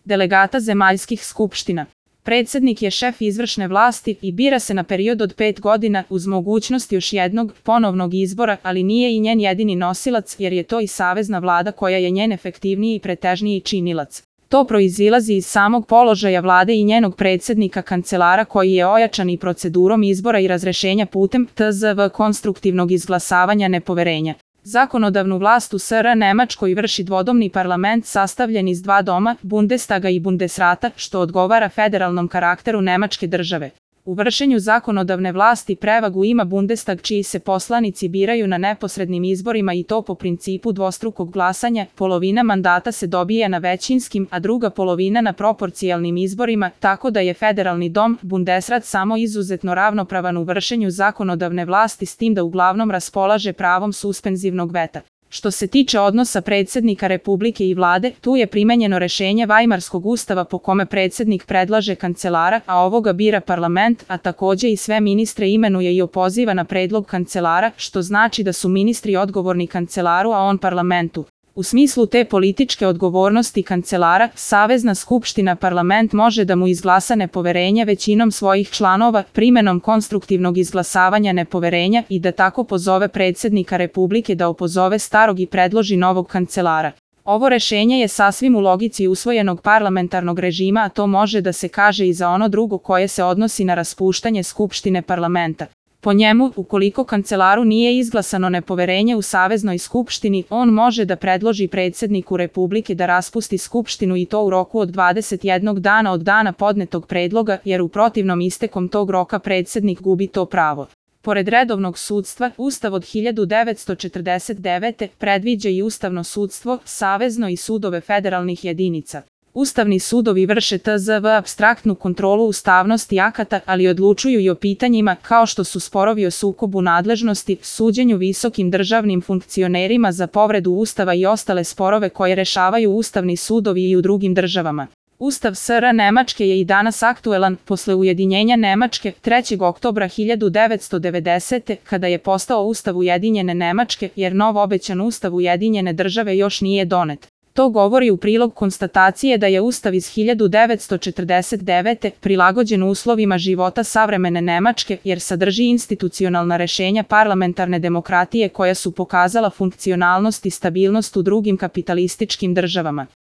delegata zemaljskih skupština. Predsjednik je šef izvršne vlasti i bira se na period od 5 godina uz mogućnost još jednog ponovnog izbora, ali nije i njen jedini nosilac jer je to i savezna vlada koja je njen efektivniji i pretežniji činilac. To proizilazi iz samog položaja vlade i njenog predsjednika kancelara koji je ojačan i procedurom izbora i razrešenja putem tzv. Konstruktivnog izglasavanja nepoverenja. Zakonodavnu vlast u SR Nemačkoj vrši dvodomni parlament sastavljen iz dva doma, Bundestaga i Bundesrata, što odgovara federalnom karakteru Nemačke države. U vršenju zakonodavne vlasti prevagu ima Bundestag čiji se poslanici biraju na neposrednim izborima i to po principu dvostrukog glasanja, polovina mandata se dobija na većinskim, a druga polovina na proporcijalnim izborima, tako da je federalni dom, Bundesrat, samo izuzetno ravnopravan u vršenju zakonodavne vlasti s tim da uglavnom raspolaže pravom suspenzivnog veta. Što se tiče odnosa predsjednika Republike i vlade, tu je primenjeno rešenje Vajmarskog ustava po kome predsjednik predlaže kancelara, a ovoga bira parlament, a takođe i sve ministre imenuje i opoziva na predlog kancelara, što znači da su ministri odgovorni kancelaru, a on parlamentu. U smislu te političke odgovornosti kancelara, Savezna skupština parlament može da mu izglasa nepoverenje većinom svojih članova, primenom konstruktivnog izglasavanja nepoverenja i da tako pozove predsjednika Republike da opozove starog i predloži novog kancelara. Ovo rešenje je sasvim u logici usvojenog parlamentarnog režima, a to može da se kaže i za ono drugo koje se odnosi na raspuštanje skupštine parlamenta. Po njemu, ukoliko kancelaru nije izglasano nepoverenje u Saveznoj skupštini, on može da predloži predsjedniku Republike da raspusti skupštinu i to u roku od 21 dana od dana podnetog predloga, jer u protivnom istekom tog roka predsjednik gubi to pravo. Pored redovnog sudstva, Ustav od 1949. predviđa i ustavno sudstvo, savezno i sudove federalnih jedinica. Ustavni sudovi vrše tzv. Apstraktnu kontrolu ustavnosti akata, ali odlučuju i o pitanjima kao što su sporovi o sukobu nadležnosti, suđenju visokim državnim funkcionerima za povredu Ustava i ostale sporove koje rešavaju ustavni sudovi i u drugim državama. Ustav SR Nemačke je i danas aktuelan posle ujedinjenja Nemačke 3. oktobra 1990. kada je postao Ustav Ujedinjene Nemačke, jer nov obećan Ustav Ujedinjene države još nije donet. To govori u prilog konstatacije da je Ustav iz 1949. prilagođen uslovima života savremene Nemačke jer sadrži institucionalna rešenja parlamentarne demokratije koja su pokazala funkcionalnost i stabilnost u drugim kapitalističkim državama.